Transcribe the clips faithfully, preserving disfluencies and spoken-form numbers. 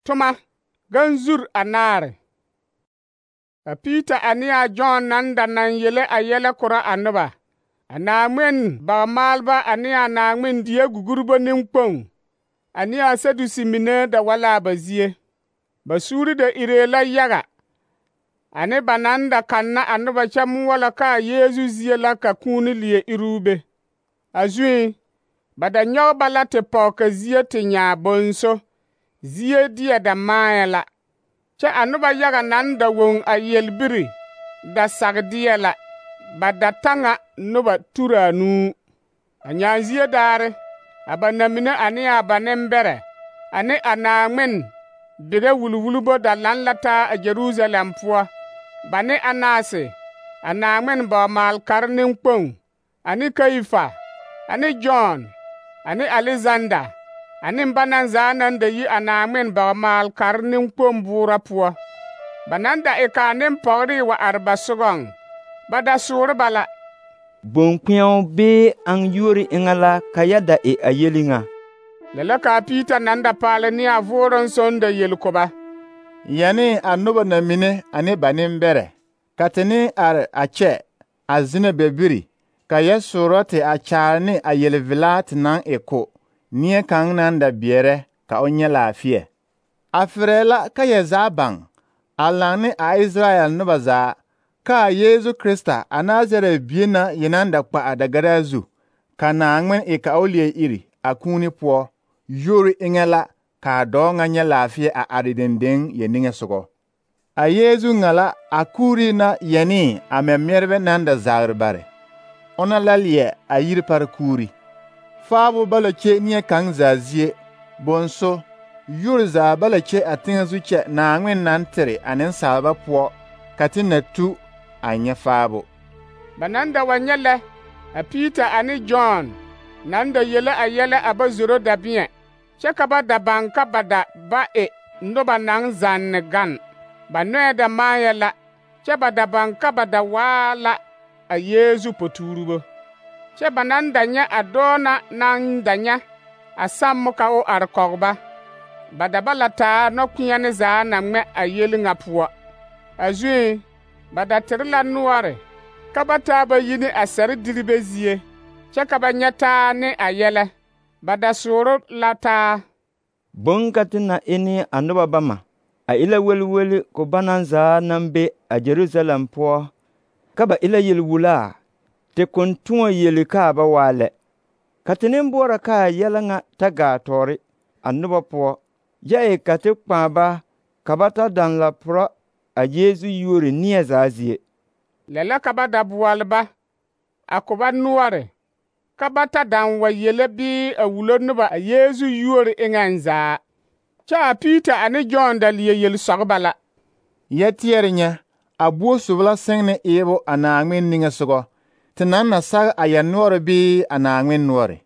toma ganzur anaare. A Peter ane a John nan da nan yele a yɛlɛ korɔ a noba. A Naŋmen bagmaalba ane a Naŋmen die gugurbo nenkpoŋ ane a Sadusi mine da wa la ba zie. Ba suuri da iree la yaga, ane ba nan da kanna a noba kyɛ moɔlɔ ka a Yeezu zie la ka kūūne leɛ iruu be. A zuŋ, ba da nyɔge ba la te pɔge ka zie te nyaa bonso, zie deɛ da maayɛ la. Kyɛ a noba yaga nan da woŋ a yelbiri da sagdeɛ la, ba da taŋa noba tura nuu. A nyanzie daare, a ba namine ane a ba nembɛrɛ, ane a Naŋmen bigɛ wulwulbo da lan la taa a Jerusalem poɔ, ba ne Anase, a Naŋmen bagmaalkare nenkpoŋ, ane Kayifa, ane John, ane Alexander, ane ba nan zaa nan da yi a Naŋmen bagmaalkare nenkpoŋ boora poɔ. Ba nan da e ka a nempɔgere wa are ba sogɔŋ, ba da soore ba la. Boŋkpeɛo bee aŋ yuori eŋa la ka ya da e a yeli ŋa. Lɛ la ka a Peter nan da paale ne a vooroŋ soŋ da yeli ko ba. Yɛne a noba na mine ane ba nembɛrɛ, ka te ne are a kyɛ a zina bɛbiri, ka yɛ soorɔ te a kyaare ne a yelvelaa te naŋ e ko, neɛ kaŋ nan da beɛrɛ ka o nyɛ laafeɛ. A ferɛɛ la ka yɛ zaa baŋ, a laŋ ne a Israel noba zaa, ka a Yeezu Krista a Nazarɛ bie na yenaŋ da kpa a dagaraa zu, ka Naŋmen e ka o leɛ iri a kūūne poɔ, yuori eŋɛ la ka a dɔɔ ŋa nyɛ laafeɛ a are dendeŋ yɛ niŋesogɔ. A Yeezu ŋa la a kuuri na yɛnee a mɛmɛrebɛ nan da zagre bare. Ona la leɛ a yiri pare kuuri. Faabo ba la kye neɛ kaŋ zaa zie, bonso, yuori zaa ba la kye a teŋɛ zu kyɛ Naŋmen nan tere a nensaalba poɔ, ka te na tu a nyɛ faabo. Ba nan da wa nyɛ lɛ, a Peter ane John nan da yele a yɛlɛ a ba zoro dabeɛ, kyɛ ka ba da baŋ ka ba da ba e noba naŋ zanne gan. Ba nɔɛ da maayɛ la, kyɛ ba da baŋ ka ba da waa la a Yeezu potuurubo. Kyɛ ba nan da nyɛ a dɔɔ na naŋ da nyɛ a sammo ka o are kɔge ba. Ba da ba la taa nɔkpeɛne zaa na ŋmɛ a yeli ŋa poɔ. A zuŋ, ba da tere la noɔre ka ba taa ba yi ne a sɛre diribe zie, kyɛ ka ba nyɛ taa ne a yɛlɛ. Ba da sooro la taa. Boŋka te na e ne a noba bama, a e la welweli ko ba nan zaa naŋ be a Jerusalem poɔ, ka ba e la yelwulaa, te kon tõɔ yeli ka a ba waa lɛ. Ka te ne boɔrɔ ka a yɛlɛ ŋa ta gaa tɔɔre a noba poɔ, yɛ e ka te kpãã ba ka ba ta daŋ la porɔ a Yeezu yuori neɛ zaa zie. Lɛ la ka ba da boɔle ba, a ko ba noɔre, ka ba ta daŋ wa yele bii a wulo noba a Yeezu yuori eŋɛŋ zaa. Kyɛ a Peter ane John da leɛ yeli sɔge ba la. Yɛ teɛre nyɛ, a buo sob la sẽgne eebo a Naŋmen niŋesogɔ, te naŋ na sag a yɛ noɔre bii a Naŋmen noɔre.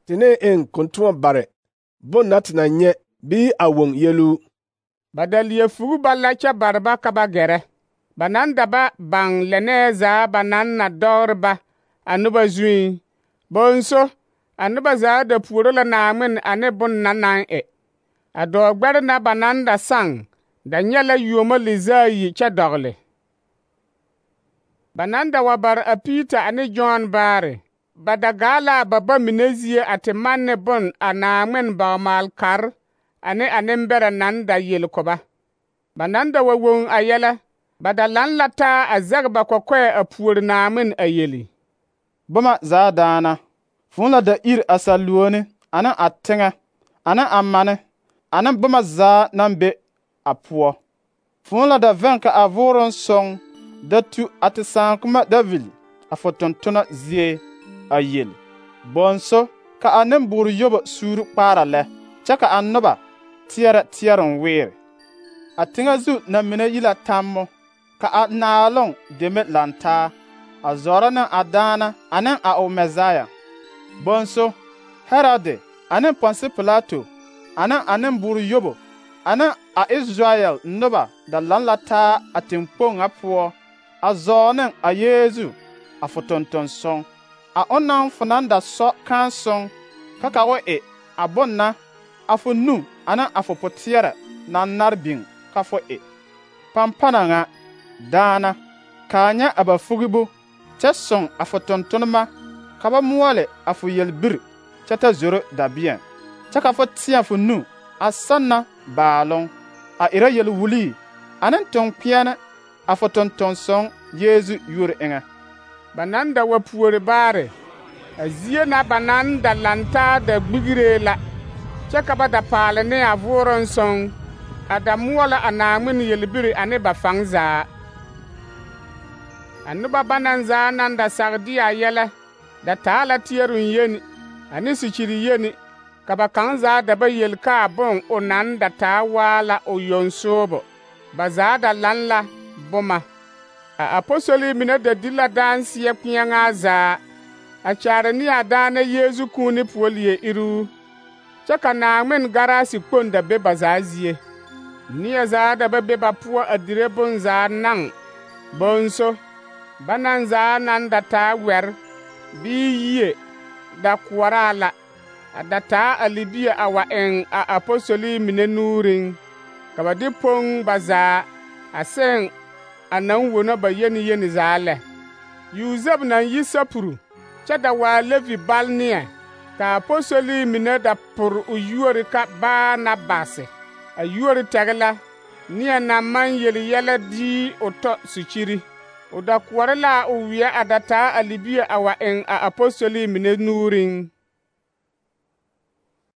Te ne eŋ kontoɔ bare, bon na te na nyɛ bii a woŋ yeluu. Ba da leɛ fugu ba la kyɛ bare ba ka ba gɛrɛ. Ba nan da ba baŋ lɛnɛɛ zaa ba nan na dɔgre ba a noba zuŋ. Bonso, a noba zaa da puoro la Naŋmen ane bon na naŋ e. A dɔɔgbɛre na ba nan da saŋ da nyɛ la yuomo lizaayi kyɛ dɔgle. Ba nan da wa bare a Peter ane John baare, ba da gaa la a ba ba mine zie a te manne bon a Naŋmen bagmaalkare ane a nembɛrɛ nan da yeli ko ba. Ba nan da wa woŋ a yɛlɛ, ba da lan la taa a zɛge ba kɔkɔɛ a puori Naŋmen a yeli. Boma zaa daana, fõõ la da iri a saluoni, ane a teŋɛ, ane a mane, ane boma zaa naŋ be a poɔ. Fõõ la da vɛŋ ka a vooroŋ soŋ da tu a te sãakema David a fo tontona zie a yeli. Bonso, ka a nemboore yobo suuri kpaara lɛ, kyɛ ka a noba teɛrɛ teɛroŋ weere. A teŋɛ zu na mine yi la tammo, ka a naaloŋ deme lantaa, a zɔrɔ ne a daana ane a o Mɛsaaya. Bonso, Herode ane Pɔnsi Pilato ane a nemboore yobo ane a Israel noba da lan la taa a teŋkpoŋ ŋa poɔ a zɔɔ ne a Yeezu a fo tontonsoŋ, a onaŋ fo naŋ da sɔ kããsoŋ ka ka o e a bon na a fo nu ane a fo poteɛrɛ naŋ nare biŋ ka fo e. Pampana ŋa, daana, kaa nyɛ a ba fogibu, kyɛ sõŋ a fo tontonema ka ba moɔle a fo yelbiri kyɛ ta zoro dabeɛŋ, kyɛ ka fo tẽɛ fo nu a sanna baaloŋ, a erɛ yel-wulii ane toŋ-kpeɛne a fo tonton-sõŋ Yeezu yuori eŋɛ. Ba naŋ da wa puori baare, a zie na ba naŋ da lantaa da gbigiree la, kyɛ ka ba da paale ne a vooroŋ sõŋ, a da moɔlɔ a Naaŋmen yelbiri ane ba faŋ zaa. A noba banaŋ zaa naŋ da sage de a yɛlɛ da taa la teɛroŋ yeni ane sikyiri yeni, ka ba kaŋ zaa da ba yeli kaa boŋ o naŋ da taa waa la o yoŋ soobo. Ba zaa da laŋ la boma. A apostoli mine da di la daanseɛ kpeɛŋaa zaa, a kyaare ne a daana Yeezu kūūne poɔ leɛ iruu, kyɛ ka Naaŋmen garaasi kpoŋ da be ba zaa zie. Neɛ zaa da ba be ba poɔ a dire bonzaa naŋ, bonso, banaŋ zaa naŋ da taa wɛre bii yie da koɔraa la, a da taa a libie a wa eŋ a apostoli mine nuuriŋ, ka ba de poŋ ba zaa a seŋ a naŋ wono ba yeni yeni zaa lɛ. Yuzɛb naŋ yi Sapuru kyɛ da waa Levi bal neɛ, ka apostoli mine da pore o yuori ka Baanabase. A yuori tɛge la neɛ naŋ maŋ yeli yɛlɛ dii o tɔ sikyiri. O da koɔre la o weɛ a da taa a libie a wa eŋ a apostoli mine nuuriŋ.